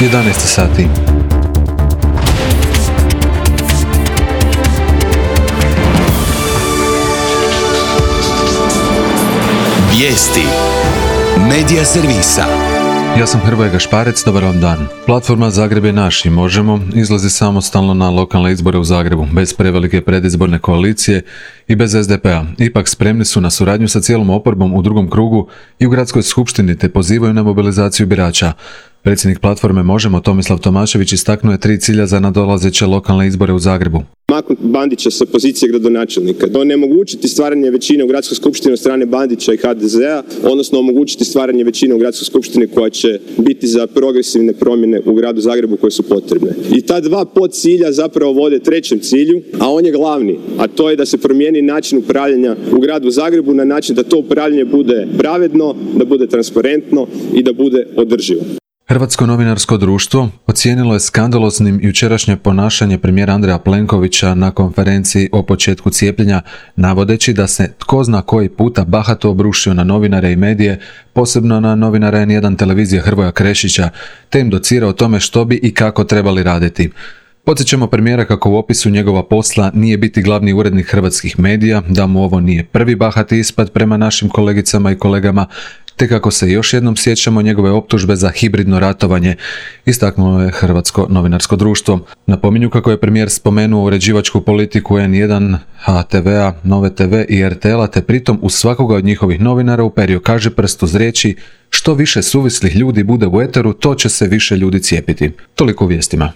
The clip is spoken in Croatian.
11 sati. Vijesti Medija servisa. Ja sam Hrvoje Gašparec, dobar vam dan. Platforma Zagreb je naš i Možemo izlazi samostalno na lokalne izbore u Zagrebu, bez prevelike predizborne koalicije i bez SDP-a. Ipak spremni su na suradnju sa cijelom oporbom u drugom krugu i u gradskoj skupštini te pozivaju na mobilizaciju birača. Predsjednik platforme Možemo, Tomislav Tomašević, istaknuo je 3 cilja za nadolazeće lokalne izbore u Zagrebu. Maknuti Bandića sa pozicije gradonačelnika, onemogućiti stvaranje većine u gradskoj skupštini od strane Bandića i HDZ-a, odnosno omogućiti stvaranje većine u gradskoj skupštini koja će biti za progresivne promjene u gradu Zagrebu koje su potrebne. I ta 2 podcilja zapravo vode 3. cilju, a on je glavni, a to je da se promijeni način upravljanja u gradu Zagrebu na način da to upravljanje bude pravedno, da bude transparentno i da bude održivo. Hrvatsko novinarsko društvo ocijenilo je skandaloznim jučerašnje ponašanje premijera Andreja Plenkovića na konferenciji o početku cijepljenja, navodeći da se tko zna koji puta bahato obrušio na novinare i medije, posebno na novinara N1 televizije Hrvoja Krešića, te im docira o tome što bi i kako trebali raditi. Podsjećamo premijera kako u opisu njegova posla nije biti glavni urednik hrvatskih medija, da mu ovo nije prvi bahati ispad prema našim kolegicama i kolegama, te kako se još jednom sjećamo njegove optužbe za hibridno ratovanje, istaknulo je Hrvatsko novinarsko društvo. Napominju kako je premijer spomenuo uređivačku politiku N1, HTV-a, Nove TV i RTL-a, te pritom u svakoga od njihovih novinara uperio kažiprst uz riječi: što više suvislih ljudi bude u eteru, to će se više ljudi cijepiti. Toliko u vijestima.